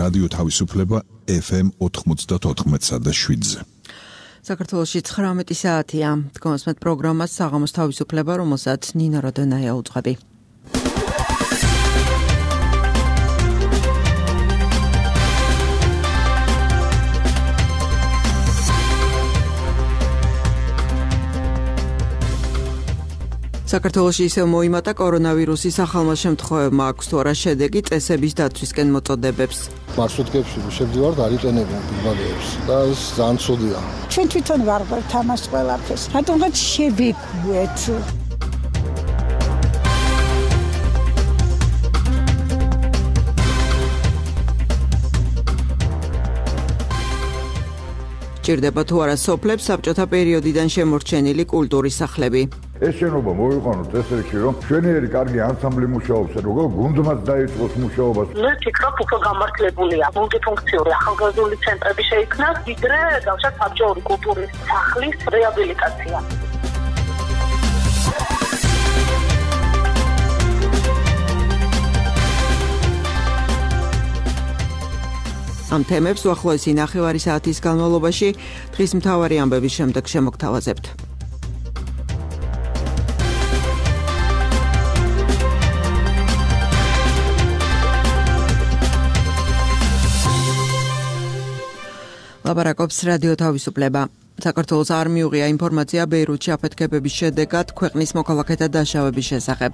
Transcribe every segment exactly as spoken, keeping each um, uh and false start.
რადიო თავისუფლება ეფ ემ ოთხმოცდაოთხ და შვიდზე. საქართველოში ცხრამეტი საათია. თქვენს პროგრამას საღამოს თავისუფლება, რომელსაც ნინო როდონაია უძღვები. საქართველოში ისევ მოიმატა კორონავირუსის ახალმა შემთხვევებმა, აქვს თუ არა შედეგი წესების დაცვისკენ მოწოდებებს. მარშრუტკებში შევდივართ, არიტენებიან პირბადეებს და ეს ძალიან ცუდია. ჩვენ თვითონ ვარ თამაშ ყველაფერს. რატომღაც შევიკვეთ. ჭირდება თუ არა სოფლებს საბჭოთა პერიოდიდან შემორჩენილი კულტურის სახლები. ეს შენობა მოვიყვანოთ ესეთი, რომ შვენიერი კარგი ანსამბლი მუშაობს, როგორ გუნდმაც დაიწყოს მუშაობას. მე ვფიქრობ, უფრო გამართლებულია მულტიფუნქციური ახალგაზრდული ცენტრები შეიქმნას, ვიდრე გავშათ საბჭოური კულტურის სახლის რეაბილიტაცია. ამ თემებს უახლოესი ნახევარი საათის განმავლობაში დღის მთავარი ამბების შემდეგ შემოგთავაზებთ. ლაპარაკობს რადიო თავისუფლება. საქართველოს არ მიუღია ინფორმაცია ბეირუთში აფეთქებების შედეგად ქვეყნის მოქალაქეთა დაშავების შესახებ.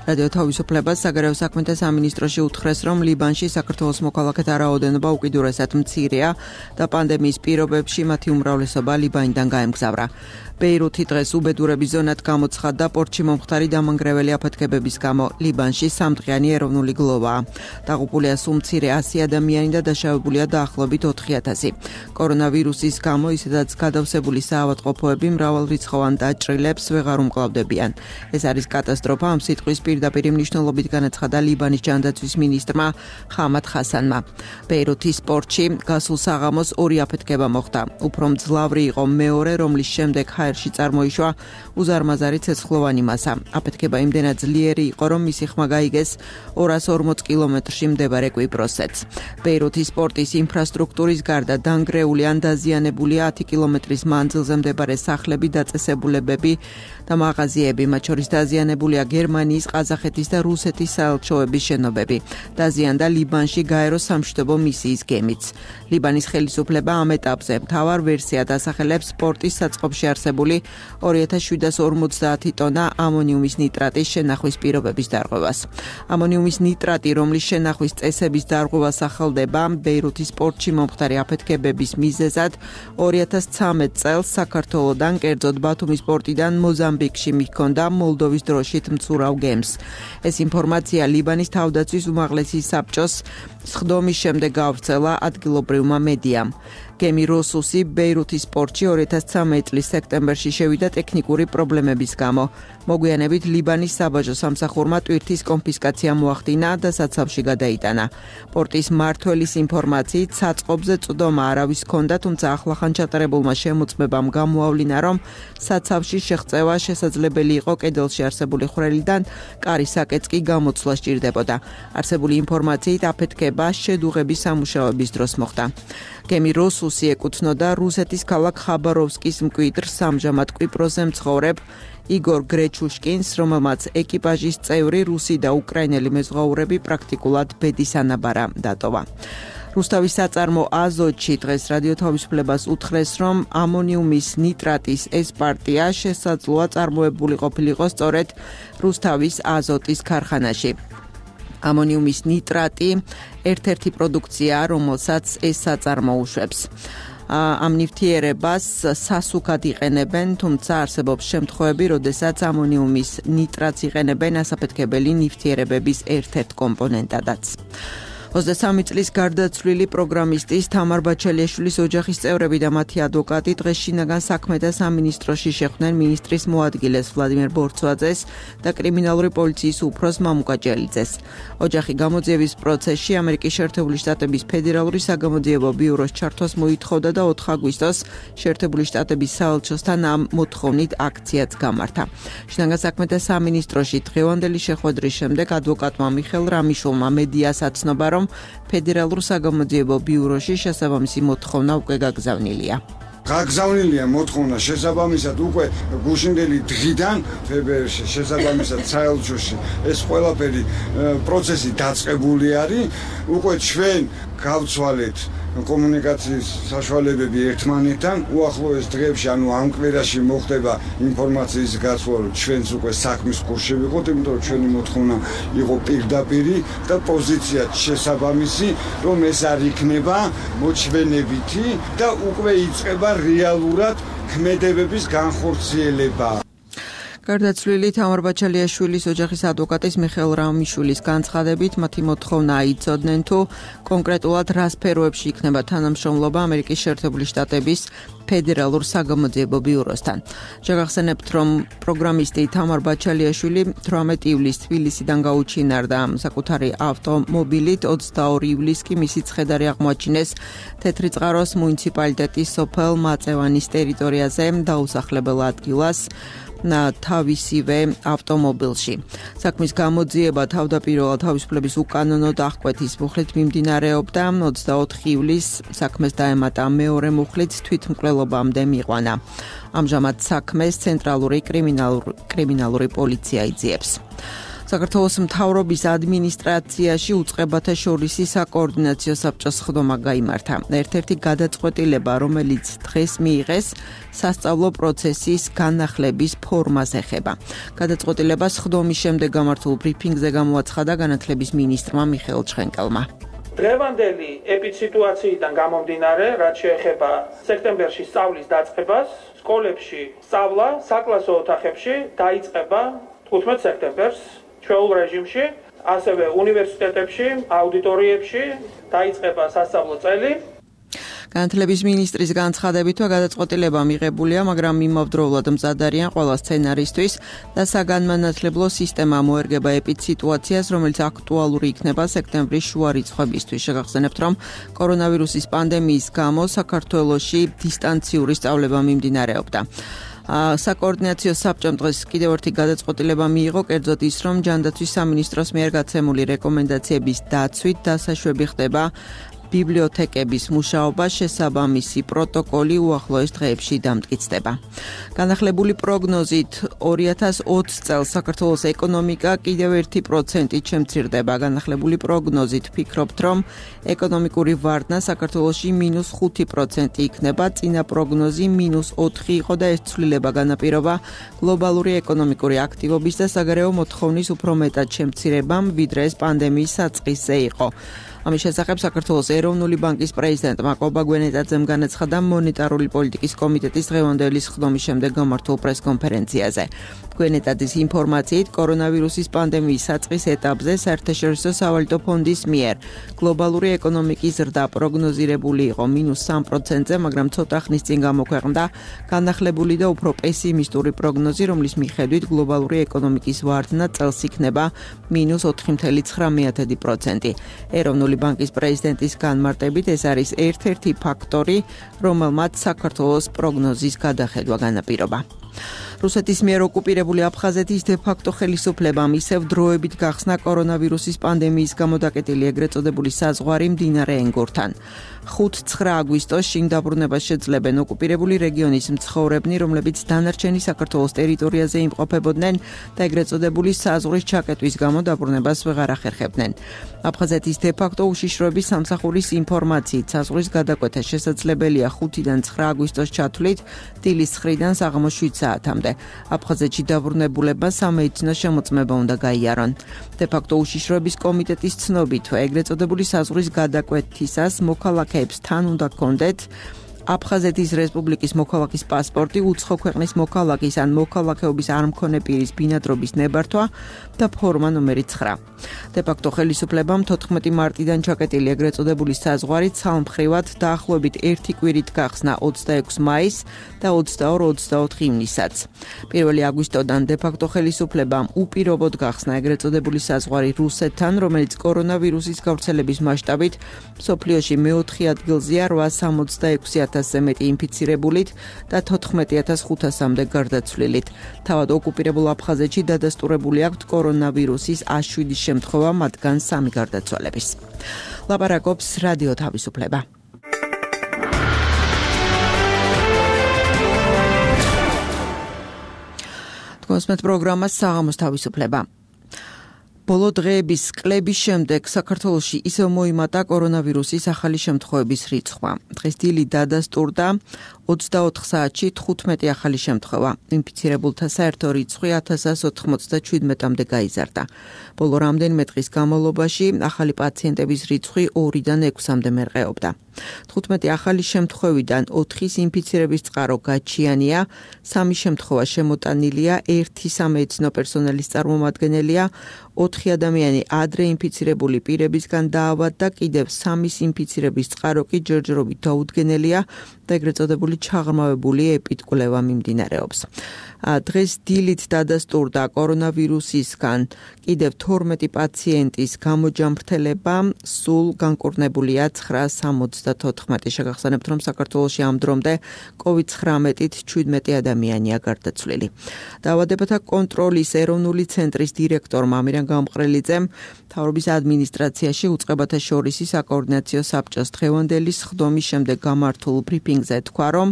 რადიო თავისუფლებას საგარეო საქმეთა სამინისტროში უთხრეს, რომ ლიბანში საქართველოს მოქალაქეთა რაოდენობა უკიდურესად მცირეა და პანდემიის პირობებში მათი უმრავლესობა ლიბანიდან გაემგზავრა. ბეირუთი დღეს უბედურების ზონად გამოცხადდა პორტში მომხდარი დამანგრეველი აფეთქებების გამო. ლიბანში სამდღიანი ეროვნული გლოვაა. დაღუპულია სულ მცირე ასი ადამიანი და დაშავებულია დაახლოებით ოთხი ათასი. კორონავირუსის გამო ისედაც გადავსებული საავადმყოფოები მრავალრიცხოვან დაჭრილებს ვეღარ უმკლავდებიან. ეს არის კატასტროფა, ამ სიტყვის პირდაპირ მნიშვნელობით განაცხადა ლიბანის ჯანდაცვის მინისტრმა ხამად ხასანმა. ბეირუთის პორტში გასულ საღამოს ორი აფეთქება მოხდა. უფრო მძლავრი იყო მეორე, რომლის შემდეგ ჰაერში წარმოიშვა უზარმაზარი ცეცხლოვანი მასა. აფეთქება იმდენად ძლიერი იყო, რომ მისი ხმა გაიგეს ორას ორმოც კილომეტრში მდებარე კვიპროსეთს. ბეირუთის პორტის ინფრასტრუქტურის გარდა დანგრეული ან დაზიანებულია ათი კილომეტრის მანძილზე მდებარე სახლები, დაწესებულებები და მაღაზიები, მათ შორის დაზიანებულია გერმანიის, ყაზახეთის და რუსეთის საელჩოების შენობები. დაზიანდა ლიბანში გაერო სამშვიდობო მისიის გემიც. ლიბანის ხელისუფლება ამ ეტაპზე მთავარ ვერსიად ასახელებს პორტის საწყობში არსებული ორი ათას შვიდას ორმოცდაათი ტონა ამონიუმის ნიტრატის შენახვის პირობების დარღვევას. ამონიუმის ნიტრატი, რომლის შენახვის წესების დარღვევა სახელდება ბეირუთის პორტში მომხდარი აფეთქებების მიზეზად ორი ათას ცხრამეტ წელს საქართველოდან, კერძოდ ბათუმის პორტიდან მოზამბიკში მიჰქონდა მოლდოვის დროშით მცურავ გემს. ეს ინფორმაცია ლიბანის თავდაცვის უმაღლესი საბჭოს სხდომის შემდეგ გავრცელა ადგილობრივმა მედიამ. გემი როსუსი ბეირუთის პორტში ორი ათას ცხრამეტი წლის სექტემბერში შევიდა ტექნიკური პრობლემების გამო. მოგვიანებით ლიბანის საბაჟო სამსახურმა ტვირთის კონფისკაცია მოახდინა და საცავში გადაიტანა. პორტის მმართველის ინფორმაციით საწყობზე წვდომა არავის ჰქონდა, თუმცა ახლახან ჩატარებულმა შემოწმებამ გამოავლინა, რომ საცავში შეღწევა შესაძლებელი იყო კედელში არსებული ხვრელიდან, კარის საკეთს კი გამოცვლა სჭირდებოდა. არსებული ინფორმაციით აფეთქება შედუღების სამუშაოების დროს მოხდა. გემი როსუსი ეკუთვნოდა რუსეთის ქალაქ ხაბაროვსკის მკვიდრს, ამჟამად კვიპროსზე მცხოვრებ იგორ გრეჩუშკინს, რომელმაც ეკიპაჟის წევრი რუსი და უკრაინელი მეზღვაურები პრაქტიკულად ბედის ანაბარა დატოვა. რუსთავის საწარმო აზოტში დღეს რადიო თავისუფლებას უთხრეს, რომ ამონიუმის ნიტრატის ეს პარტია შესაძლოა წარმოებული ყოფილიყო სწორედ რუსთავის აზოტის ქარხანაში. ამონიუმის ნიტრატი ერთ-ერთი პროდუქციაა, რომელსაც ეს საწარმო უშვებს. ამ ნივთიერებას სასუქად იყენებენ, თუმცა არსებობს შემთხვევები, როდესაც ამონიუმის ნიტრატს იყენებენ ასაფეთქებელი ნივთიერებების ერთ-ერთ კომპონენტადაც. ოცდასამი წლის გარდაცვლილი პროგრამისტის თამარ ბაჩალიაშვილის ოჯახის წევრები და მათი ადვოკატი დღეს შინაგან საქმეთა სამინისტროში შეხვდნენ მინისტრის მოადგილეს ვლადიმერ ბორცვაძეს და კრიმინალური პოლიციის უფროს მამუკა ჭელიძეს. ოჯახი გამოძიების პროცესში ამერიკის შეერთებული შტატების ფედერალური საგამოძიებო ბიუროს ჩართვას მოითხოვდა და ოთხ აგვისტოს შეერთებული შტატების საელჩოსთან ამ მოთხოვნით აქციაც გამართა. შინაგან საქმეთა სამინისტროში დღევანდელი შეხვედრის შემდეგ ადვოკატმა მიხელ რამიშულმა მედიას აცნობა, რომ რომ ფედერალურ საგამოძიებო ბიუროში შესაბამისი მოთხოვნა უკვე გაგზავნილია. გაგზავნილია მოთხოვნა შესაბამისად უკვე გუშინდელი დღიდან ფებრუარში შესაბამისად საელჩოში ეს ყველაფერი პროცესი დაწყებული არის უკვე ჩვენ გავცვალეთ კომუნიკაციის საშუალებები ერთმანეთთან უახლოეს დღეებში ანუ ამ კვირაში მოხდება ინფორმაციის გაცვლა რომ ჩვენც უკვე საქმის კურსში ვიყოთ იმიტომ რომ ჩვენი მოთხოვნა იყო პირდაპირი და პოზიცია შესაბამისი რომ ეს არ იქნება მოჩვენებითი და უკვე იწყება რეალურად ქმედებების განხორციელება. გარდაცვლილი თამარ ბაჩალიაშვილის ოჯახის ადვოკატის მიხეილ რამიშვილის განცხადებით მათი მოთხოვნა იცოდნენ თუ კონკრეტულად რა სფეროებში იქნება თანამშრომლობა ამერიკის შეერთებული შტატების ფედერალურ საგამოძიებო ბიუროსთან. შეგახსენებთ, რომ პროგრამისტი თამარ ბაჩალიაშვილი თვრამეტი ივლისს თბილისიდან გაუჩინარდა საკუთარი ავტომობილით, ოცდაორი ივლისს კი მისი ცხედარი აღმოაჩინეს თეთრიწყაროს მუნიციპალიტეტის სოფელ მაწევანის ტერიტორიაზე დაუსახლებელ ადგილას თავისივე ავტომობილში. საქმის გამოძიება თავდაპირველად თავისუფლების უკანონო დახკვეთის მუხლით მიმდინარეობდა ოცდაოთხი ივლისს საქმეს დაემატა მეორე მუხლით თვითმკვლელობამდე მიყვანა. ამჟამად საქმეს ცენტრალური კრიმინალური პოლიცია იძიებს. საქართველოს მთავრობის ადმინისტრაციაში უწყებათა შორისი საკოორდინაციო საბჭოს ხდომა გაიმართა. ერთ-ერთი გადაწყვეტილება, რომელიც დღეს მიიღეს, სასწავლო პროცესის განახლების ფორმას ეხება. გადაწყვეტილებას ხდომის შემდეგ გამართულ ბრიფინგზე გამოაცხადა განათლების მინისტრმა მიხეილ ჩხენკელმა. დღევანდელი ეპიდსიტუაციიდან გამომდინარე, რაც შეეხება სექტემბერში სწავლის დაწყებას, სკოლებში სწავლა საკლასო ოთახებში დაიწყება თხუთმეტ სექტემბერს. ჩვეულ რეჟიმში, ასევე უნივერსიტეტებში, აუდიტორიებში დაიწყება სასწავლო წელი. განათლების მინისტრის განცხადებით, გადაწყვეტილება მიღებულია, მაგრამ იმავდროულად მზად არიან ყველა სცენარისთვის და საგანმანათლებლო სისტემა მოერგება ეპიდსიტუაციას, რომელიც აქტუალური იქნება სექტემბრის შუა რიცხვებისთვის. შეგახსენებთ, რომ კორონავირუსის პანდემიის გამო საქართველოში დისტანციური სწავლება მიმდინარეობდა. საკოორდინაციო საბჭომ დღეს კიდევ ერთი გადაწყვეტილება მიიღო, კერძოდ ის, რომ ჯანდაცვის სამინისტროს მიერ გაცემული რეკომენდაციების დაცვით დასაშვები ხდება ბიბლიოთეკების მუშაობა, შესაბამისი პროტოკოლი უახლოეს დღეებში დამტკიცდება. განახლებული პროგნოზით ორი ათას ოცი წელს საქართველოს ეკონომიკა კიდევ ერთი პროცენტით შემცირდება. განახლებული პროგნოზით ფიქრობთ, რომ ეკონომიკური ვარდნა საქართველოში მინუს ხუთი პროცენტი იქნება, წინა პროგნოზი მინუს ოთხი იყო და ეს ცვლილება განაპირობა გლობალური ეკონომიკური აქტივობის და საგარეო მოთხოვნის უფრო მეტად შემცირებამ, ვიდრე ეს პანდემიის საწყისზე იყო. ამის შესახებ საქართველოს ეროვნული ბანკის პრეზიდენტმა კობა გვენეტაძემ განაცხადა მონეტარული პოლიტიკის კომიტეტის დღევანდელი ხდომის შემდეგ გამართულ პრესკონფერენციაზე. გვენეტაძის ინფორმაციით, კორონავირუსის პანდემიის საწყის ეტაპზე საერთაშორისო სავალუტო ფონდის მიერ გლობალური ეკონომიკის ზრდა პროგნოზირებული იყო მინუს სამი პროცენტზე, მაგრამ ცოტა ხნის წინ გამოქვეყნდა განახლებული და უფრო პესიმისტური პროგნოზი, რომლის მიხედვით გლობალური ეკონომიკის ვარდნა წელს იქნება მინუს ოთხი ცხრა ცხრა პროცენტი. ეროვნული ბანკის პრეზიდენტის განმარტებით ეს არის ერთ-ერთი ფაქტორი, რომელმაც საქართველოს პროგნოზის გადახედვა განაპირობა. რუსეთის მიერ ოკუპირებული აფხაზეთის დე-ფაქტო ხელისუფლებამ ისევ დროებით გახსნა კორონავირუსის პანდემიის გამო დაკეტილი ეგრეთ წოდებული საზღვარი მდინარე ენგურთან. ხუთი ცხრა აგვისტოს შინ დაბრუნებას შეძლებენ ოკუპირებული რეგიონის მცხოვრებნი, რომლებიც დანარჩენი საქართველოს ტერიტორიაზე იმყოფებოდნენ და ეგრეთ წოდებული საზღვრის ჩაკეტვის გამო დაბრუნებას ვეღარ ახერხებდნენ. აფხაზეთის დე-ფაქტო უშიშროების სამსახურის ინფორმაციით საზღვრის გადაკვეთა შესაძლებელია ხუთიდან ცხრა აგვისტოს ჩათვლით დილის ცხრიდან საღამოს შვიდ საათამდე. აფხაზეთში დაბრუნებულებმა სამედიცინო შემოწმება უნდა გაიარონ. დე-ფაქტო უშიშროების კომიტეტის ცნობით, ეგრეთ წოდებული საზღვრის გადაკვეთისას მოქალაქეებს თან უნდა ჰქონდეთ აფხაზეთის რესპუბლიკის მოქალაქის პასპორტი, უცხო ქვეყნის მოქალაქის ან მოქალაქეობის არ მქონე პირის ბინადრობის ნებართვა და ფორმა ნომერი ცხრა. დე-ფაქტო ხელისუფლებამ თოთხმეტი მარტიდან ჩაკეტილი ეგრეთ წოდებული საზღვარი ცალმხრივად დაახლოებით ერთი კვირით გახსნა ოცდაექვსი მაისს და ოცდაორი ოცდაოთხი ივნისსაც. პირველი აგვისტოდან დე-ფაქტო ხელისუფლებამ უპირობოდ გახსნა ეგრეთ წოდებული საზღვარი რუსეთთან, რომელიც კორონავირუსის გავრცელების მასშტაბით მსოფლიოში მეოთხე ადგილზეა რვასასამოცდაექვსი ათასი ათასზე მეტი ინფიცირებულით და თოთხმეტი ათას ხუთასამდე გარდაცვლილით. თავად ოკუპირებულ აფხაზეთში დადასტურებული აქვთ კორონავირუსის ას შვიდი შემთხვევა, მათგან სამი გარდაცვალების. ლაპარაკობს რადიო თავისუფლება. კონსმეთ პროგრამა საღამოს თავისუფლება. ბოლო დღეების კლების შემდეგ საქართველოში ისევ მოიმატა კორონავირუსის ახალი შემთხვევების რიცხვმა. დღეს დილით დადასტურდა ოცდაოთხ საათში თხუთმეტი ახალი შემთხვევა. ინფიცირებულთა საერთო რიცხვი ათასას ოთხმოცდაჩვიდმეტამდე გაიზარდა. ბოლო რამდენიმე დღის განმავლობაში ახალი პაციენტების რიცხვი ორიდან ექვსამდე მერყეობდა. თხუთმეტი ახალი შემთხვევიდან ოთხის ინფიცირების წყარო გაჩიანია, სამი შემთხვევა შემოტანილია, ერთი სამედიცინო პერსონალის წარმომადგენელია, ოთხი ადამიანი ადრე ინფიცირებული პირებისგან დაავადდა, კიდევ სამის ინფიცირების წყარო კი ჯერჯერობით დაუდგენელია და ეგრეთ წოდებული ჩაღრმავებული ეპიდკვლევა მიმდინარეობს. დღეს დილით დადასტურდა კორონავირუსისგან კიდევ თორმეტი პაციენტის გამოჯამრთელება, სულ განკურნებულია ცხრაას სამოცდათოთხმეტი. შეგახსენებთ, რომ საქართველოში ამ დრომდე კოვიდ ცხრამეტით ჩვიდმეტი ადამიანია გარდაცვლილი. დაავადებათა კონტროლის ეროვნული ცენტრის დირექტორმა ამირან გამყრელიძემ მთავრობის ადმინისტრაციაში უწყებათა შორისი საკოორდინაციო საბჭოს დღევანდელი სხდომის შემდეგ გამართულ ბრიფინგზე თქვა, რომ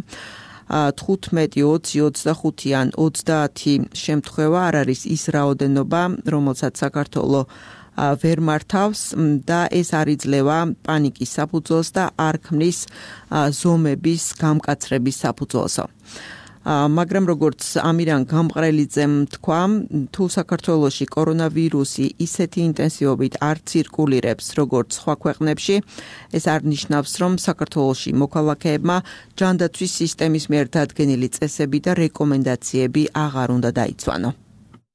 თხუთმეტი, ოცი, ოცდახუთი ან ოცდაათი შემთხვევა არ არის ის რაოდენობა, რომელსაც საქართველო ვერ მართავს და ეს არ იძლევა პანიკის საფუძველს და არ ქმნის ზომების გამკაცრების საფუძველსო. მაგრამ როგორც ამირან გამყრელიძემ თქვა, თუ საქართველოში კორონავირუსი ისეთი ინტენსივობით არ ცირკულირებს, როგორც სხვა ქვეყნებში, ეს არ ნიშნავს, რომ საქართველოში მოქალაქეებმა ჯანდაცვის სისტემის მიერ დადგენილი წესები და რეკომენდაციები აღარ უნდა დაიცვანო.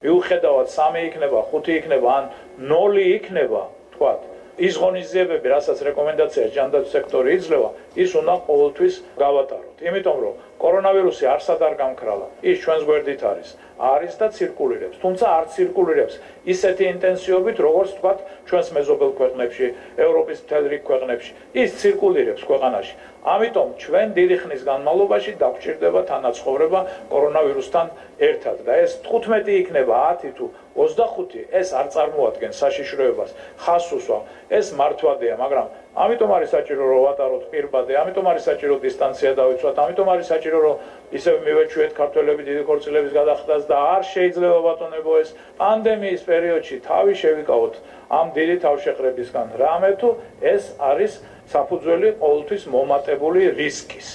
მიუხედავად სამი იქნება, ხუთი იქნება ან ნოლი იქნება, თქვათ, ის ღონისძიებები, რასაც რეკომენდაცია ჯანდაცვის სექტორი იძლევა, ის უნდა ყოველთვის გავატაროთ. იმიტომ რომ კორონავირუსი არსად არ გამქრალა. ის ჩვენს გვერდით არის. არის და ცირკულირებს. თუმცა არ ცირკულირებს ისეთი ინტენსივობით, როგორც თქვათ, ჩვენს მეზობელ ქვეყნებში, ევროპის მთელ რიგ ქვეყნებში. ის ცირკულირებს ქვეყანაში. ამიტომ ჩვენ დიდი ხნის განმავლობაში დაგვჭირდება თანაცხოვრება კორონავირუსთან ერთად და ეს თხუთმეტი იქნება, ათი თუ ოცდახუთი, ეს არ წარმოადგენს საშიშროებას, ხაზს უსვამ. ეს მართვადია, მაგრამ ამიტომ არის საჭირო რომ ვატაროთ პირბადე, ამიტომ არის საჭირო დისტანცია დავიცვათ, ამიტომ არის საჭირო რომ ისევ მივეჩვიეთ ქართველები დიდი ქორწილების გადახდას და არ შეიძლება ბატონებო ეს პანდემიის პერიოდში თავი შევიკავოთ ამ დიდი თავშეყრებისგან. რამე თუ ეს არის საფუძველი ყოველთვის მომატებული რისკის.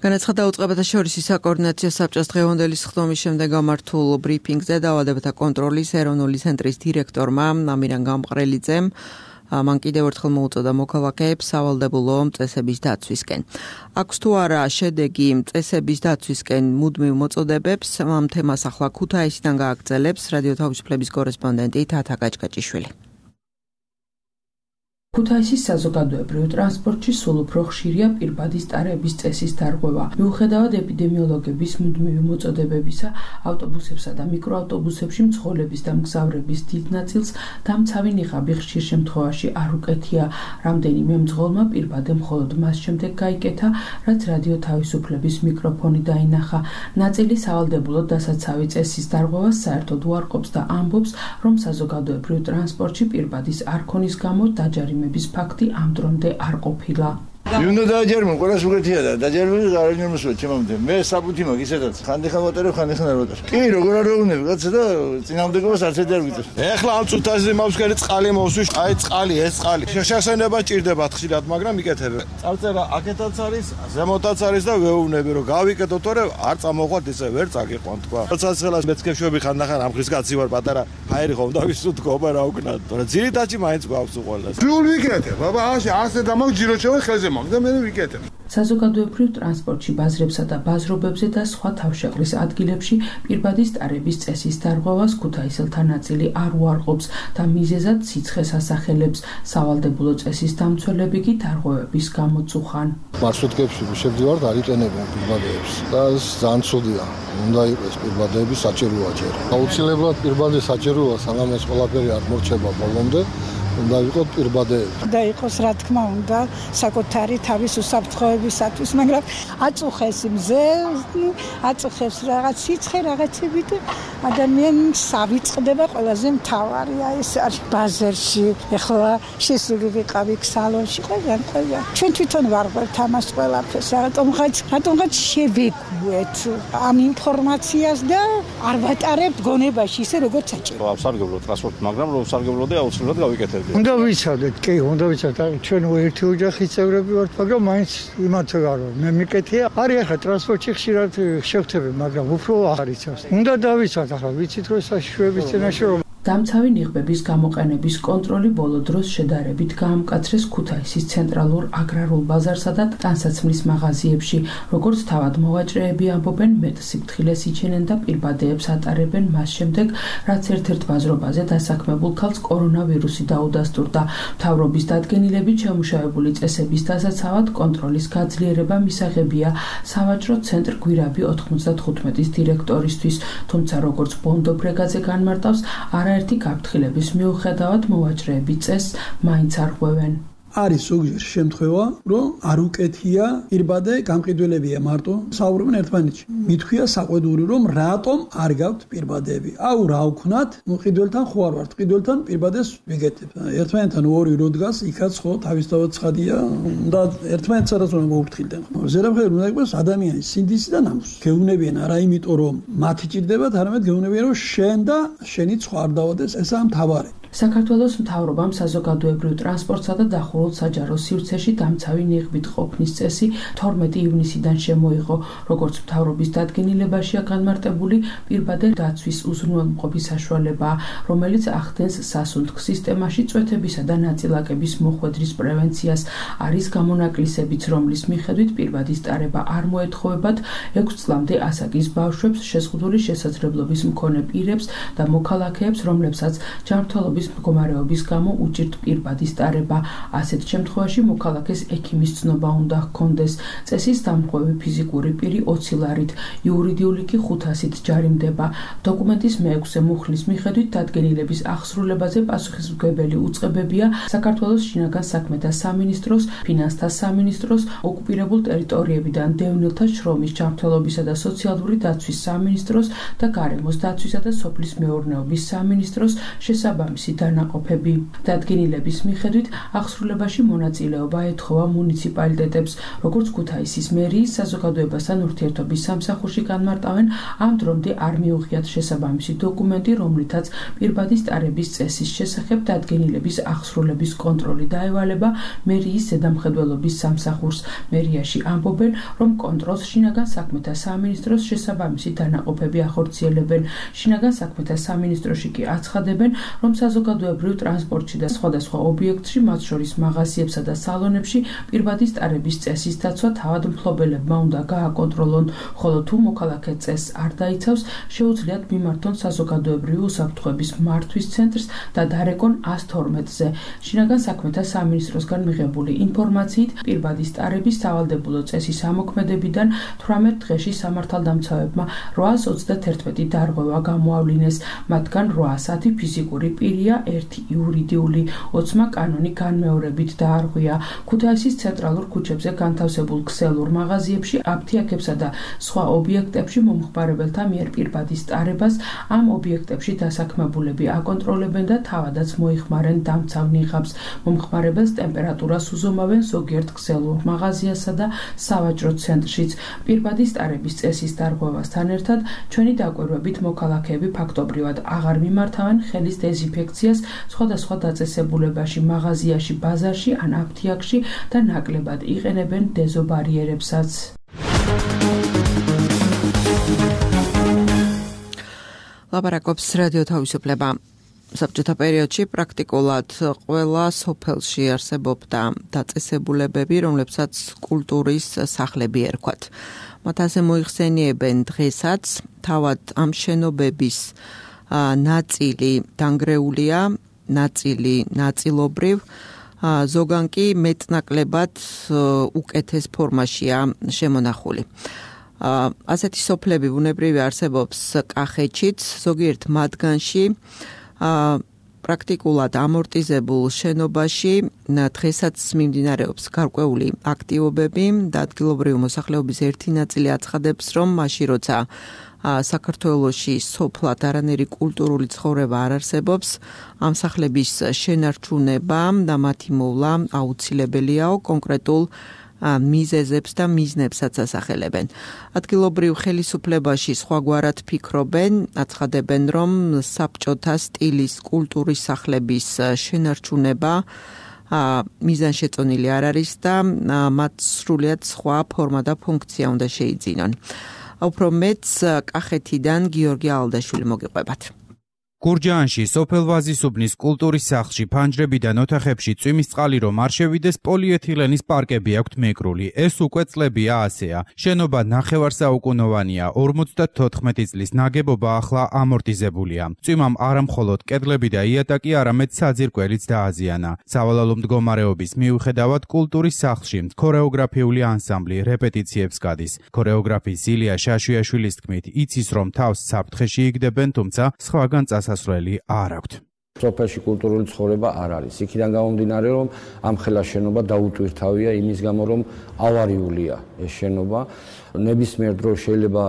განაცხადა უწყებათა შორისი საკოორდინაციო საბჭოს დღევანდელი სხდომის შემდეგ გამართულ ბრიფინგზე დაავადებათა კონტროლის ეროვნული ცენტრის დირექტორმა ამირან გამყრელიძემ მან კიდევ ერთხელ მოუწოდა მოქალაქეებს სავალდებულო წესების დაცვისკენ. აქვს თუ არა შედეგი წესების დაცვისკენ მუდმივ მოწოდებებს, ამ თემას ახლა ქუთაისიდან გააგრძელებს რადიო თავისუფლების კორესპონდენტი თათა გაჭკაჭიშვილი. ქუთაისის საზოგადოებრივ ტრანსპორტში სულ უფრო ხშირია პირბადის ტარების წესის დარღვევა. მიუხედავად ეპიდემიოლოგების მუდმივი მოწოდებებისა, ავტობუსებსა და მიკროავტობუსებში მცხოვრების და მგზავრების დიდ ნაწილს დამცავი ნიღაბი ხშირ შემთხვევაში არ უკეთია. რამდენიმე მძღოლმა პირბადე მხოლოდ მას შემდეგ გაიკეთა, რაც რადიო თავისუფლების მიკროფონი დაინახა. ნაწილი სავალდებულოდ დასაცავი წესის დარღვევას საერთოდ უარყოფს და ამბობს, რომ საზოგადოებრივ ტრანსპორტში პირბადის არქონის გამო დაჯარიმებული ფაქტი ამ დრომდე არ ყოფილა. უნდა დააჯერმო, ყველას უკეთია და დაჯერმები გარანტიერ მოსვლა ჩემამდე. მე საფუთი მაქვს ისედაც. ხანდახან ვატარებ, ხანდახან არ ვატარებ. კი, როგორ არ ვეუბნები, კაცო და წინამდებობას არც ერთი არ ვიწევ. ეხლა ამ წუთაზე მავსკერი წყალი მოვსვი, აი წყალი, ეს წყალი. შესაძლებლობა ჭირდება ხშირად, მაგრამ იკეთებ. წარწერა აქეთაც არის, ზემოთაც არის და ვეუბნები, რომ გავიკეთო, თორე არ წამოყვათ ისე ვერ წაგიყვან თქვა. როცა ხელას მეცქეშვები ხანდახან ამ ხრის კაცი ვარ, პატარა ჰაერი ხომ და ვისუთქობა რა უკნათ. თორე ძირითადში მაინც გვაქვს უყოლას. გულ ვიკეთებ, აბა ასე ასე დამოგჯირო შევა ხელზე და მე ვიკეთებ. საზოგადოებრივ ტრანსპორტში ბაზრებსა და ბაზრობებზე და სხვა თავშეყრის ადგილებში პირბადის ტარების წესის დარღვევას ქუთაისელთა ნაწილი არ უარყოფს და მიზეზად სიცხეს ასახელებს. სავალდებულო წესის დამცველები კი დარღვევების გამოწუხან. მარშრუტკებში შევდივართ, არ იყენებენ პირბადეებს და ეს ძალიან ცუდია. უნდა იყოს პირბადეების საჭიროა ჯერ. აუცილებლად პირბადის საჭიროა, სანამ ეს ყველაფერი არ მორჩება ბოლომდე. უნდა იყოს პირბადეები. და იყოს რა თქმა უნდა საკუთარი თავის უსაფრთხოებისათვის, მაგრამ აწუხეს მზე, აწუხებს რაღაც სიცხე რაღაცები და ადამიანს ავიწყდება ყველაზე მთავარია ეს არის ბაზარში. ეხლა შესული ვიყავი სალონში, ყველგან ყველგან. ჩვენ თვითონ ვარღვევთ ამას ყველაფერს, რატომღაც რატომღაც შევეგუეთ ამ ინფორმაციას და არ ვატარებთ გონებაში ისე როგორც საჭირო. ავსარგებლო ტრანსპორტი, მაგრამ რომ ვსარგებლო და აუცილებლად გავიკეთებდი. უნდა ვიცოდეთ, კი, უნდა ვიცოდეთ, ჩვენ ერთი ოჯახის წევრები ვართ, მაგრამ მაინც იმათო არ ვარ. მე მიკეთია, არის ახლა ტრანსპორტში ხშირად შევხვდები, მაგრამ უფრო აღარ იცავს. უნდა დავიცვათ ახლა, ვიცით რომ საშუალების წინაშე რომ დამცავი ნიღბების გამოყენების კონტროლი ბოლო დროს შედარებით გაამკაცრეს ქუთაისის ცენტრალურ აგრარულ ბაზარსა და ტანსაცმლის მაღაზიებში. როგორც თავად მოვაჭრეები ამბობენ, მეტ სიფრთხილეს იჩენენ და პირბადეებს ატარებენ მას შემდეგ, რაც ერთ-ერთ ბაზრობაზე დასაქმებულ ქალს კორონავირუსი დაუდასტურდა. მთავრობის დადგენილებით შემუშავებული წესების დასაცავად კონტროლის გაძლიერება მისაღებია სავაჭრო ცენტრ გვირაბი ოთხმოცდათხუთმეტის დირექტორისთვის, თუმცა როგორც ბონდო ბრეგაძე განმარტავს, არა ერთი გაფრთხილების მიუხედავად მოვაჭრეები წესს მაინც არღვევენ. არის ზოგჯერ შემთხვევა, რომ არ უკეთია პირბადე გამყიდველებია მარტო საუბრობენ ერთმანეთში. მithქვია საყვედური, რომ რატომ არ გაქვთ პირბადეები. აუ რა ვქნათ, ნუ ყიდველთან ხო არ ვართ, ყიდველთან პირბადეს ვიგეთებ. ერთმანეთთან ორი რო დგას, იქაც ხო თავისთავად ცხადია და ერთმანეთს არას უნდა მოუფრთხილდენ. ზედამხედველად უნდა იყოს ადამიანის სინდისი და ნამუსი. გეუბნებიან არა იმიტომ, რომ მათი ჭირდებათ, არამედ გეუბნებიან, რომ შენ და შენი სხვა არ დავადეს, ესაა მთავარი. საქართველოს მთავრობამ საზოგადოებრივ ტრანსპორტსა და დახურულ საჯარო სივრცეში დამცავი ნიღბით ყოფნის წესი თორმეტი ივნისიდან შემოიღო. როგორც მთავრობის დადგენილებაშია განმარტებული, პირბადე დაცვის უზრუნველმყოფი საშუალებაა, რომელიც ახდენს სასუნთქ სისტემაში წვეთებისა და ნაწილაკების მოხვედრის პრევენციას. არის გამონაკლისებიც, რომლის მიხედვით პირბადის ტარება არ მოეთხოვებათ ექვს წლამდე ასაკის ბავშვებს, შეზღუდული შესაძლებლობის მქონე პირებს და მოქალაქეებს, რომლებსაც ჯანმრთელობის მდგომარეობის გამო უჭირთ პირბადის ტარება. ასეთ შემთხვევაში მოქალაქეს ექიმის ცნობა უნდა ჰქონდეს. წესის დამხმევი ფიზიკური პირი ოცი ლარით, იურიდიული კი ხუთასით ჯარიმდება. დოკუმენტის მეექვსე მუხლის მიხედვით დადგენილების აღსრულებაზე პასუხისმგებელი უწყებებია საქართველოს შინაგან საქმეთა სამინისტროს, ფინანსთა სამინისტროს, ოკუპირებულ ტერიტორიებიდან დევნილთა შრომის ჯანმრთელობისა და სოციალური დაცვის სამინისტროს და გარემოს დაცვისა და სოფლის მეურნეობის სამინისტროს შესაბამისი დანაყოფები. დადგენილების მიხედვით აღსრულებაში მონაწილეობა ეთხოვა მუნიციპალიტეტებს, როგორც ქუთაისის მერიის საზოგადოებასთან ურთიერთობის სამსახურში განმარტავენ, ამ დრომდე არ მიუღიათ შესაბამისი დოკუმენტი, რომლითაც პირბადის ტარების წესის შესახებ დადგენილების აღსრულების კონტროლი დაევალება მერიის ზედამხედველობის სამსახურს. მერიაში ამბობენ, რომ კონტროლს შინაგან საქმეთა სამინისტროს შესაბამისი დანაყოფები ახორციელებენ. შინაგან საქმეთა სამინისტროში კი აცხადებენ, რომ საზოგადოებრივ ტრანსპორტში და სხვადასხვა ობიექტში, მათ შორის მაღაზიებსა და სალონებში, პირბადის ტარების წესის დაცვა თავად მფლობელებმა უნდა გააკონტროლონ, ხოლო თუ მოქალაქე წესს არ დაიცავს, შეუძლიათ მიმართონ საზოგადოებრივი უსაფრთხოების მართვის ცენტრს და დარეკონ ას თორმეტზე. შინაგან საქმეთა სამინისტროსგან მიღებული ინფორმაციით, პირბადის ტარების სავალდებულო წესის ამოქმედებიდან თვრამეტ დღეში სამართალდამცავებმა რვაას ოცდაათი დარღვევა გამოავლინეს, მათგან რვაასი ფიზიკური პირია, ერთი იურიდიული, ოცმა კანონი განმეორებით დაარღვია. ქუთაისის ცენტრალურ ქუჩებზე განთავსებულ ქსელურ მაღაზიებში, აფთიაქებსა და სხვა ობიექტებში მომხმარებელთა მიერ პირბადის ტარებას ამ ობიექტებში დასაქმებულები აკონტროლებენ და თავადაც მოიხმარენ დამცავ ნიღაბს. მომხმარებელს ტემპერატურას უზომავენ ზოგიერთ ქსელურ მაღაზიასა და სავაჭრო ცენტრშიც. პირბადის ტარების წესის დარღვევასთან ერთად, ჩვენი დაკვირვებით მოქალაქეები ფაქტობრივად აღარ მიმართავენ ხელის დეზინფექციას სხვადასხვა დაწესებულებაში, მაღაზიაში, ბაზარში ან აფთიაქში და ნაკლებად იყენებენ დეზობარიერებსაც. ლაპარაკობს რადიო თავისუფლება. საბჭოთა პერიოდში პრაქტიკულად ყველა სოფელში არსებობდა დაწესებულებები, რომლებსაც კულტურის სახლები ერქვათ. მათ ასე მოიხსენიებენ დღესაც, თავად ამ შენობების ნაწილი დანგრეულია, ნაწილი ნაწილობრივ, ზოგან კი მეტნაკლებად უკეთეს ფორმაშია შემონახული. ასეთი სოფლები ბუნებრივი არსებობს კახეთშიც, ზოგიერთ მათგანში პრაქტიკულად ამორტიზებულ შენობაში დღესაც მიმდინარეობს გარკვეული აქტივობები და ადგილობრივი მოსახლეობის ერთი ნაწილი აცხადებს, რომ მაშინ როცა საქართველოში სოფლად არანაირი კულტურული ცხოვრება არ არსებობს, ამ სახლების შენარჩუნება და მათი მოვლა აუცილებელიაო კონკრეტულ მიზეზებს და მიზნებსაც ასახელებენ. ადგილობრივ ხელისუფლებაში სხვაგვარად ფიქრობენ, აცხადებენ, რომ საბჭოთა სტილის კულტურის სახლების შენარჩუნება მიზანშეწონილი არ არის და მათ სრულიად სხვა ფორმა და ფუნქცია უნდა შეიძინონ. უფრო მეც კახეთიდან გიორგი ალდაშვილი მოგიყვებათ. გურჯაანში სოფელ ვაზისუბნის კულტურის სახლში ფანჯრებიდან ოთახებში წვიმის წყალი რომ არ შევიდეს, პოლიეთილენის პარკები აქვთ მეკრული. ეს უკვე წლებია ასეა. შენობა ნახევარსაუკუნოვანია, ორმოცდათოთხმეტი წლის ნაგებობა ახლა ამორტიზებულია. წვიმამ არა მხოლოდ კედლები და იატაკი, არამედ საძირკველიც დააზიანა. სავალალო მდგომარეობის მიუხედავად კულტურის სახლში ქორეოგრაფიული ანსამბლი რეპეტიციებს გადის. ქორეოგრაფი ზილია შაშვიაშვილის თქმით, იცის რომ თავს საფრთხეში იგდებენ, თუმცა სხვაგან წასასვლელი არ აქვთ. სოფელში კულტურული ცხოვრება არ არის. იქიდან გამომდინარე, რომ ამ ხელა შენობა დაუტვირთავია იმის გამო, რომ ავარიულია ეს შენობა. ნებისმიერ დროს შეიძლება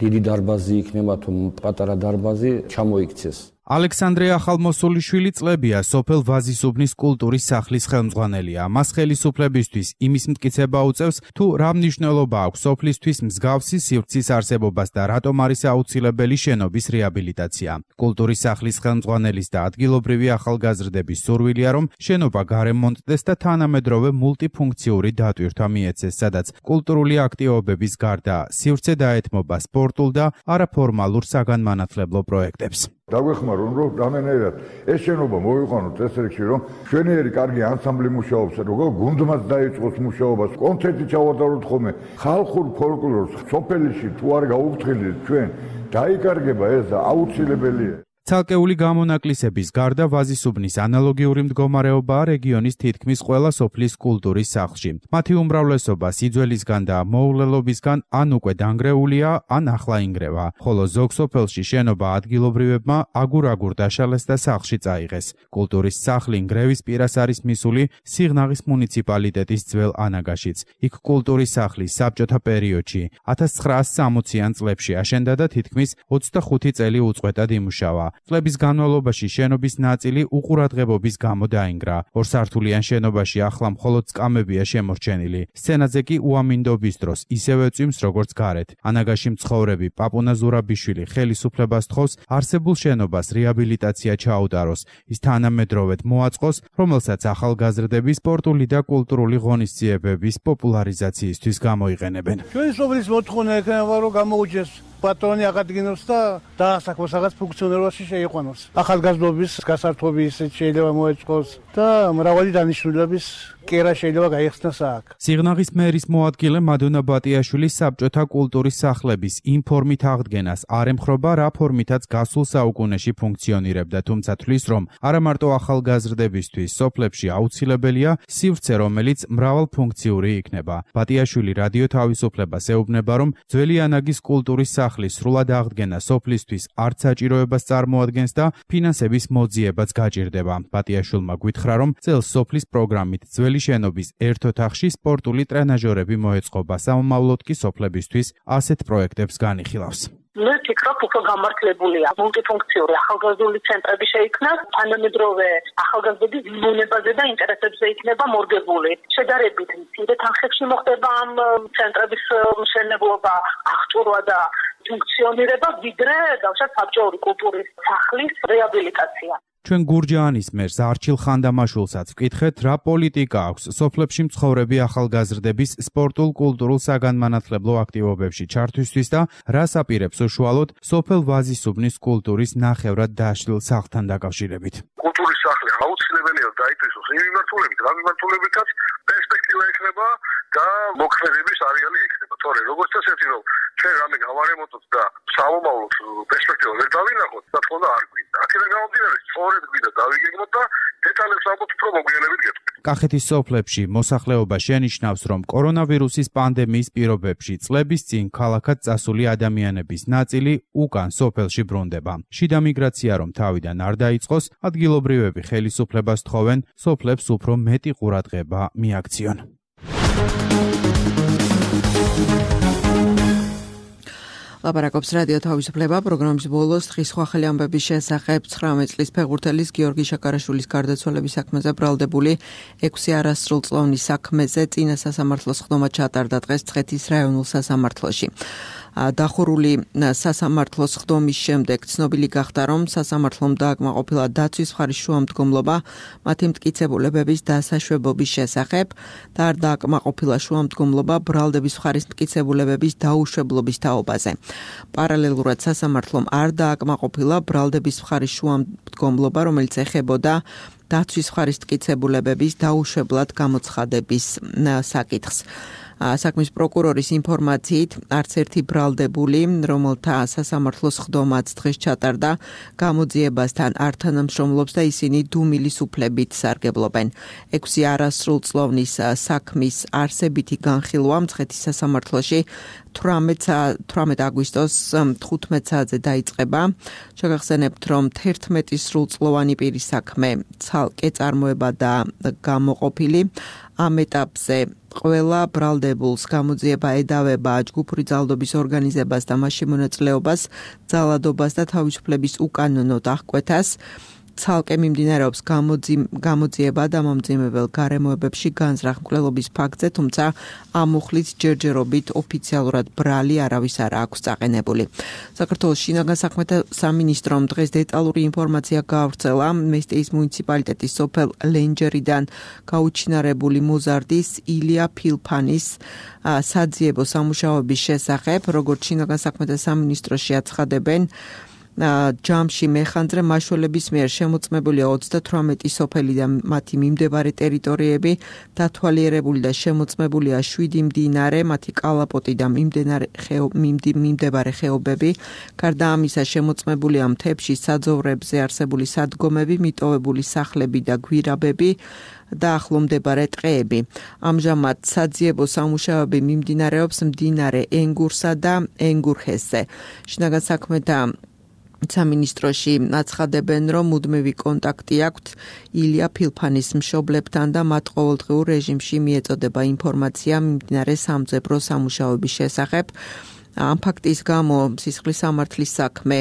დიდი დარბაზი იქნება თუ პატარა დარბაზი ჩამოიქცეს. ალექსანდრე ახალმოსულიშვილი წლებია სოფელ ვაზისუბნის კულტურის სახლის ხელმძღვანელია. მას ხელისუფლებისთვის იმის მტკიცება უწევს, თუ რა მნიშვნელობა აქვს სოფლისთვის მსგავსი სივრცის არსებობას და რატომ არის აუცილებელი შენობის რეაბილიტაცია. კულტურის სახლის ხელმძღვანელის და ადგილობრივი ახალგაზრდების სურვილია, რომ შენობა გარემონტდეს და თანამედროვე მულტიფუნქციური დატვირთვა მიეცეს, სადაც კულტურული აქტივობების გარდა სივრცე დაეთმობა სპორტულ და არაფორმალურ საგანმანათლებლო პროექტებს. დაგვეხმაროთ, რომ რამენერად ეს შენობა მოვიყვანოთ ეს რიგში, რომ შვენიერი კარგი ანსამბლი მუშაობს, როგორ გუნდმაც დაიწყოს მუშაობას, კონცერტი ჩავატაროთ ხოლმე, ხალხურ ფოლკლორს სოფელში თუ არ გაუფრთხილდით ჩვენ, დაიკარგება ეს აუცილებელია. ცალკეული გამონაკლისების გარდა ვაზისუბნის ანალოგიური მდგომარეობაა რეგიონის თითქმის ყველა სოფლის კულტურის სახლში. მათი უმრავლესობა სიძველისგან და მოულელობისგან ან უკვე დანგრეულია, ან ახლა ინგრევა, ხოლო ზოგ სოფელში შენობა ადგილობრივებმა აგურ-აგურ დაშალეს და სახლში წაიღეს. კულტურის სახლი ნგრევის პირას არის მისული სიღნაღის მუნიციპალიტეტის ძველ ანაგაშიც. იქ კულტურის სახლი საბჭოთა პერიოდში ათას ცხრაასი სამოციან წლებში აშენდა და თითქმის ოცდახუთი წელი უწყვეტად იმუშავა. წლების განმავლობაში შენობის ნაწილი უყურადღებობის გამო დაინგრა. ორსართულიან შენობაში ახლა მხოლოდ წკამებია შემორჩენილი. სცენაზე კი უამინდობის დროს ისევე წვიმს როგორც გარეთ. ანაგაში მცხოვრები პაპუნა ზურაბიშვილი ხელისუფლებას თხოვს არსებულ შენობას რეაბილიტაცია ჩაუტაროს. ის თანამედროვედ მოაწყოს, რომელსაც ახალგაზრდების სპორტული და კულტურული ღონისძიებების პოპულარიზაციისთვის გამოიყენებენ. ჩვენი სოფლის მოთხოვნა ექნება, რომ გამოუჩეს პატრონი აღადგინოს და დაასაქმოს რაღაც ფუნქციონირებაში შეიყვანოს. ახალგაზრდობის გასართობი ისეთ შეიძლება მოეწყოს და მრავალი დანიშნულების კერა შეიძლება გაიხსნას აქ. სიღნაღის მერის მოადგილე მადონა ბატიაშვილი საბჭოთა კულტურის სახლების იმ ფორმით აღდგენას არ ემხრობა, რა ფორმითაც გასულ საუკუნეში ფუნქციონირებდა, თუმცა თვლის, რომ არა მარტო ახალგაზრდებისთვის სოფლებში აუცილებელია სივრცე, რომელიც მრავალფუნქციური იქნება. ბატიაშვილი რადიო თავისუფლებას ეუბნება, რომ ძველი ანაგის კულტურის სახლის სრულად აღდგენა სოფლისთვის არც საჭიროებას წარმოადგენს და ფინანსების მოძიებაც გაჭირდება. ბატიაშვილმა გვითხრა, რომ წელს სოფლის პროგრამით ძველი შენობის ერთ ოთახში სპორტული ტრენაჟორები მოეწყობა, სამომავლოდ კი სოფლებისთვის ასეთ პროექტებს განიხილავს. მე ვფიქრობ, უფრო გამართლებულია მულტიფუნქციური ახალგაზრდული ცენტრები შეიქმნას, თანამედროვე ახალგაზრდების მონებაზე და ინტერესებზე იქნება მორგებული. შედარებით მცირე თანხებში მოხდება ამ ცენტრების მშენებლობა, აღჭურვა და ფუნქციონირება, ვიდრე დავშათ საბჭოური კულტურის სახლის რეაბილიტაცია. ჩვენ გურჯაანის მერს არჩილ ხანდამაშულსაც ვკითხეთ, რა პოლიტიკა აქვს სოფლებში მცხოვრები ახალგაზრდების სპორტულ კულტურულ საგანმანათლებლო აქტივობებში ჩართვისთვის და რას აპირებს უშუალოდ სოფელ ვაზისუბნის კულტურის ნახევრად დაშლილ სახლთან დაკავშირებით. კულტურის სახლი აუცილებელია დაიწესოს იმ მიმართულებით, რა მიმართულებითაც პერსპექტივა ექნება და მოქმედების არეალი ექნება. თორე როგორც წესი რომ ჩვენ რამე გავარემონტოთ და სამომავლოდ პერსპექტივა ვერ დავინახოთ, რა თქმა უნდა არ გვინდა. აქედან გამომდინარე, სწორედ გვინდა დავიგეგმოთ და დეტალებს ალბათ უფრო მოგვიანებით გეტყვით. კახეთის სოფლებში მოსახლეობა შენიშნავს, რომ კორონავირუსის პანდემიის პირობებში წლების წინ ქალაქად წასული ადამიანების ნაწილი უკან სოფელში ბრუნდება. შიდა მიგრაცია რომ თავიდან არ დაიწყოს, ადგილობრივები ხელისუფლებას თხოვენ სოფლებს უფრო მეტი ყურადღება მიაქციონ. ლაპარაკობს რადიო თავისუფლება პროგრამის ბოლოს დღის სხვა ხელი ამბების შესახებ ცხრამეტ წლის ფეხბურთელის გიორგი შაკარაშვილის გარდაცვალების საქმეზე ბრალდებული ექვსი არასრულწლოვნის საქმეზე წინა სასამართლოს ხდომა ჩატარდა დღეს მცხეთის რაიონულ სასამართლოში. დახურული სასამართლოს ხდომის შემდეგ ცნობილი გახდა, რომ სასამართლომ დააკმაყოფილა დაცვის მხარის შუამდგომლობა მათი მტკიცებულებების დასაშვებობის შესახებ და არ დააკმაყოფილა შუამდგომლობა ბრალდების მხარის მტკიცებულებების დაუშვებლობის თაობაზე. პარალელურად სასამართლომ არ დააკმაყოფილა ბრალდების მხარის შუამდგომლობა, რომელიც ეხებოდა დაცვის მხარის მტკიცებულებების დაუშვებლად გამოცხადების საკითხს. საქმის პროკურორის ინფორმაციით, არც ერთი ბრალდებული, რომელთა სასამართლოს ხდომაც დღეს ჩატარდა, გამოძიებასთან არ თანამშრომლობს და ისინი დუმილის უფლებით სარგებლობენ. ექვსი არასრულწლოვნის საქმის არსებითი განხილვა მცხეთის სასამართლოში თვრამეტ აგვისტოს თხუთმეტ საათზე დაიწყება. შეგახსენებთ, რომ თერთმეტი სრულწლოვანი პირის საქმე ცალკე წარმოება და გამოყოფილი. ამ ეტაპზე ყველა ბრალდებულს გამოძიება ედავება ჯგუფური ძალადობის ორგანიზებას და მასში მონაწილეობას, ძალადობას და თავისუფლების უკანონოდ აღკვეთას. ცალკე მიმდინარეობს გამოძიება და მომძიმებელ გარემოებებში განზრახ მკვლელობის ფაქტზე, თუმცა ამ მუხლით ჯერჯერობით ოფიციალურად ბრალი არავის არ აქვს წაყენებული. საქართველოს შინაგან საქმეთა სამინისტრომ დღეს დეტალური ინფორმაცია გაავრცელა მესტიის მუნიციპალიტეტის სოფელ ლენჯერიდან გაუჩინარებული მოზარდის ილია ფილფანის საძიებო სამუშაოების შესახებ, როგორც შინაგან საქმეთა სამინისტროში აცხადებენ, ჯამში მეხანძრე მაშველების მიერ შემოწმებულია ოცდათვრამეტი სოფელი და მათი მიმდებარე ტერიტორიები, დათვალიერებული და შემოწმებულია შვიდი მდინარე, მათი კალაპოტი და მიმდებარე ხეობები. გარდა ამისა, შემოწმებულია მთებში საძოვრებზე არსებული სადგომები, მიტოვებული სახლები და გვირაბები და ახლომდებარე ტყეები. ამჟამად საძიებო სამუშაოები მიმდინარეობს მდინარე ენგურსა და ენგურჰესზე. შინაგან საქმეთა სამინისტროში აცხადებენ, რომ მუდმივი კონტაქტი აქვთ ილია ფილფანის მშობლებთან და მათ ყოველდღიურ რეჟიმში მიეწოდება ინფორმაცია მიმდინარე სამძებრო სამუშაოების შესახებ. ამ ფაქტის გამო სისხლის სამართლის საქმე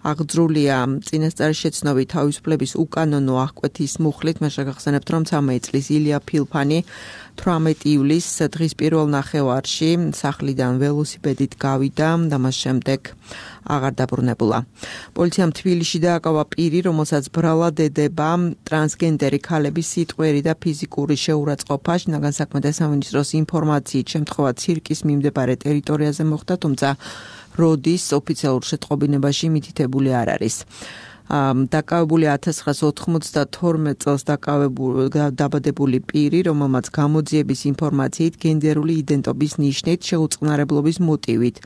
აღძრულია წინასწარი შეცნობით თავისუფლების უკანონო აღკვეთის მუხლით. მე შეგახსენებთ, რომ ცამეტი წლის ილია ფილფანი თვრამეტი ივლისს დღის პირველ ნახევარში სახლიდან ველოსიპედით გავიდა და მას შემდეგ აღარ დაბრუნებულა. პოლიციამ თბილისში დააკავა პირი, რომელსაც ბრალად ედება ტრანსგენდერი ქალების სიტყვიერი და ფიზიკური შეურაცხყოფა. შინაგან საქმეთა სამინისტროს ინფორმაციით შემთხვევა ცირკის მიმდებარე ტერიტორიაზე მოხდა, თუმცა როდის ოფიციალურ შეტყობინებაში მითითებული არ არის. დაკავებული ათას ცხრაას ოთხმოცდათორმეტ წელს დაბადებული პირი, რომელმაც გამოძიების ინფორმაციით გენდერული იდენტობის ნიშნით შეუწყნარებლობის მოტივით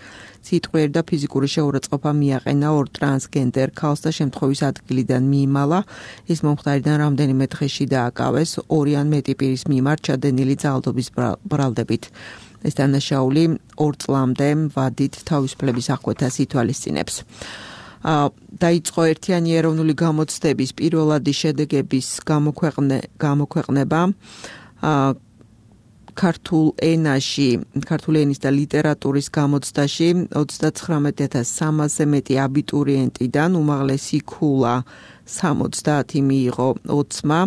სიტყვიერი და ფიზიკური შეურაცხყოფა მიაყენა ორ ტრანსგენდერ ქალს და შემთხვევის ადგილიდან მიიმალა. ის მომხდარიდან რამდენიმე დღეში დააკავეს ორი ან მეტი პირის მიმართ ჩადენილი ძალადობის ბრალდებით. ეს დანაშაული ორ წლამდე ვადით თავისუფლების აღკვეთას ითვალისწინებს. დაიწყო ერთიანი ეროვნული გამოცდების პირველადი შედეგების გამოქვეყნება ქართულ ენაში, ქართული ენის და ლიტერატურის გამოცდაში ოცდაცხრამეტ ათას სამასზე მეტი აბიტურიენტიდან უმაღლესი ქულა სამოცდაათი მიიღო ოცმა.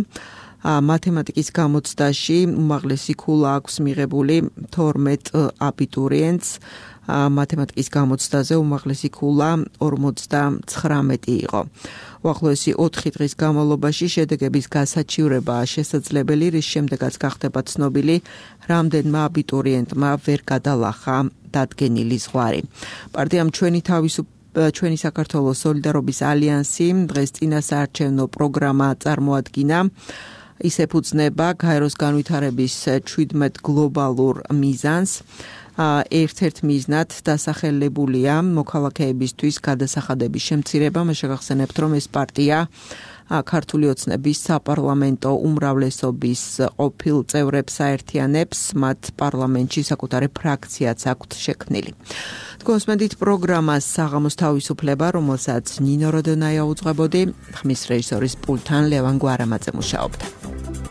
მათემატიკის გამოცდაში უმაღლესი ქულა აქვს მიღებული თორმეტ აბიტურიენტს. მათემატიკის გამოცდაზე უმაღლესი ქულა ორმოცდაცხრამეტი იყო. უახლოესი ოთხი დღის განმავლობაში შედეგების გასაჩივრებაა შესაძლებელი, რის შემდეგაც გახდება ცნობილი, რამდენმა აბიტურიენტმა ვერ გადალახა დადგენილი ზღვარი. პარტიამ ჩვენი თავისუფლება ჩვენი საქართველოს სოლიდარობის ალიანსი დღეს წინასაარჩევნო პროგრამა წარმოადგინა. ის ეფუძნება გაეროს განვითარების შვიდმეტ გლობალურ მიზანს. ერთ-ერთ მიზნად დასახელებულია მოქალაქეებისთვის გადასახადების შემცირება. მე შეგახსენებთ, რომ ეს პარტია ქართული ოცნების საპარლამენტო უმრავლესობის ყოფილ წევრებს აერთიანებს, მათ პარლამენტში საკუთარი ფრაქციაც აქვთ შექმნილი. თქვენსმენდით პროგრამას საღამოს თავისუფლება, რომელსაც ნინო როდონაია უძღვებოდი, ხმის რეჟისორის პულტთან ლევან გვარამაძე მუშაობდა.